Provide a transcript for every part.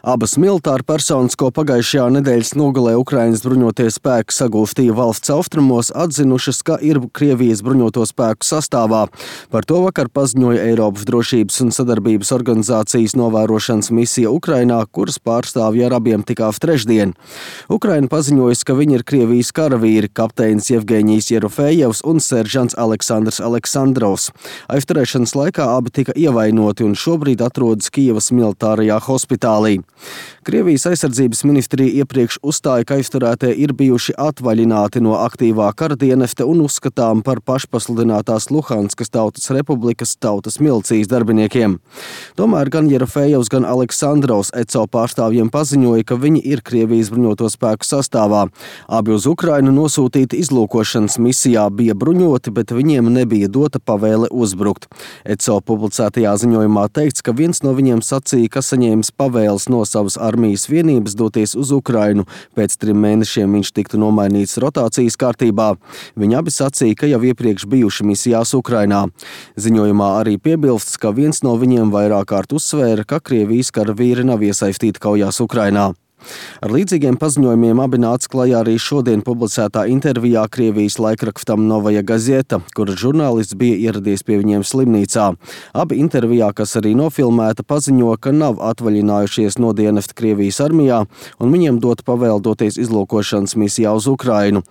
Abas militāru personas, ko pagājušajā nedēļas nogalē Ukrainas bruņotie spēki sagūstīja valsts austrumos, atzinušas, ka ir Krievijas bruņoto spēku sastāvā. Par to vakar paziņoja Eiropas drošības un sadarbības organizācijas novērošanas misija Ukrainā, kuras pārstāvji ar abiem tikās trešdien. Ukraina paziņojusi, ka viņi ir Krievijas karavīri, kapteinis Jevgeņijs Jerofejevs un seržants Aleksandrs Aleksandrovs. Aizturēšanas laikā abi tika ievainoti un šobrīd atrodas Kijevas militārajā hospitālī. Krievijas aizsardzības ministrija iepriekš uzstāja, ka aizturētie ir bijuši atvaļināti no aktīvā kara dienesta un uzskatām par pašpasludinātās Luhanskas Tautas Republikas tautas milicijas darbiniekiem. Tomēr gan Jerofejevs, gan Aleksandrovs ECO pārstāvjiem paziņoja, ka viņi ir Krievijas bruņoto spēku sastāvā. Abi uz Ukrainu nosūtīti izlūkošanas misijā, bija bruņoti, bet viņiem nebija dota pavēle uzbrukt. ECO publicētajā ziņojumā teikts, ka viens no viņiem sacīja, ka saņēmis pavēles no savas armijas vienības doties uz Ukrainu. Pēc 3 mēnešiem viņš tiktu nomainīts rotācijas kārtībā. Viņi abi sacīja, ka jau iepriekš bijuši misijās Ukrainā. Ziņojumā arī piebilsts, ka viens no viņiem vairāk kārt uzsvēra, ka Krievijas karavīri nav iesaistīti kaujās Ukrainā. Ar līdzīgiem paziņojumiem abi nāca klajā arī šodien publicētā intervijā Krievijas laikrakstam Novaja Gazeta, kura žurnālists bija ieradies pie viņiem slimnīcā. Abi intervijā, kas arī nofilmēta, paziņo, ka nav atvaļinājušies no dienesta Krievijas armijā un viņiem dot pavēle doties izlūkošanas misijā uz Ukrainu.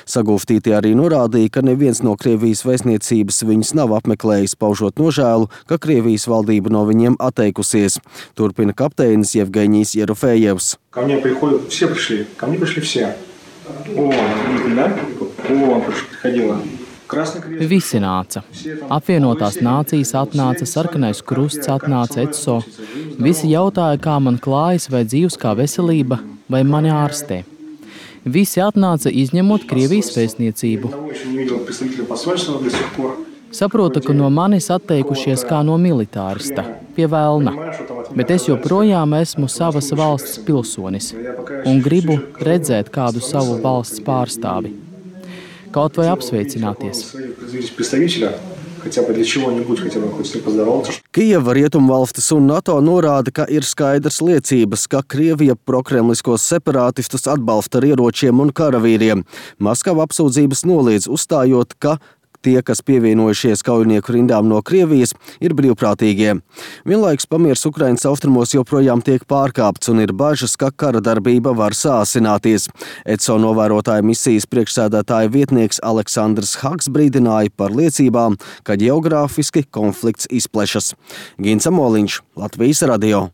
Sagūstītie arī norādīja, ka neviens no Krievijas vēstniecības viņus nav apmeklējis, paužot nožēlu, ka Krievijas valdība no viņiem atteikusies. Turpina kapteinis Jevgeņijs Jerofejevs. Ко мне приходят, все пришли, ко мне пришли все. Да? Приходила. Visi nāca. Apvienotās nācijas atnāca, Sarkanais krusts atnāca, ECO. Visi jautāja, kā man klājas, vai dzīves, kā veselība, vai mani ārstē. Visi atnāca, izņemot Krievijas vēstniecību. Saprotu, ka no manis atteikušies kā no militārista, pie velna, bet es joprojām esmu savas valsts pilsonis un gribu redzēt kādu savu valsts pārstāvi. Kaut vai apsveicināties. Kijeva, Rietumvalstis un NATO norāda, ka ir skaidrs liecības, ka Krievija prokremliskos separātistus atbalsta ar ieročiem un karavīriem. Maskava apsūdzības noliedz, uzstājot, ka tie, kas pievienojušies kaujinieku rindām no Krievijas, ir brīvprātīgie. Vienlaikus pamiers Ukrainas austrumos joprojām tiek pārkāpts un ir bažas, ka kara darbība var sāsināties. ECO novērotāja misijas priekšsēdētāja vietnieks Aleksandrs Haks brīdināja par liecībām, ka ģeogrāfiski konflikts izplešas. Gins Amoliņš, Latvijas radio.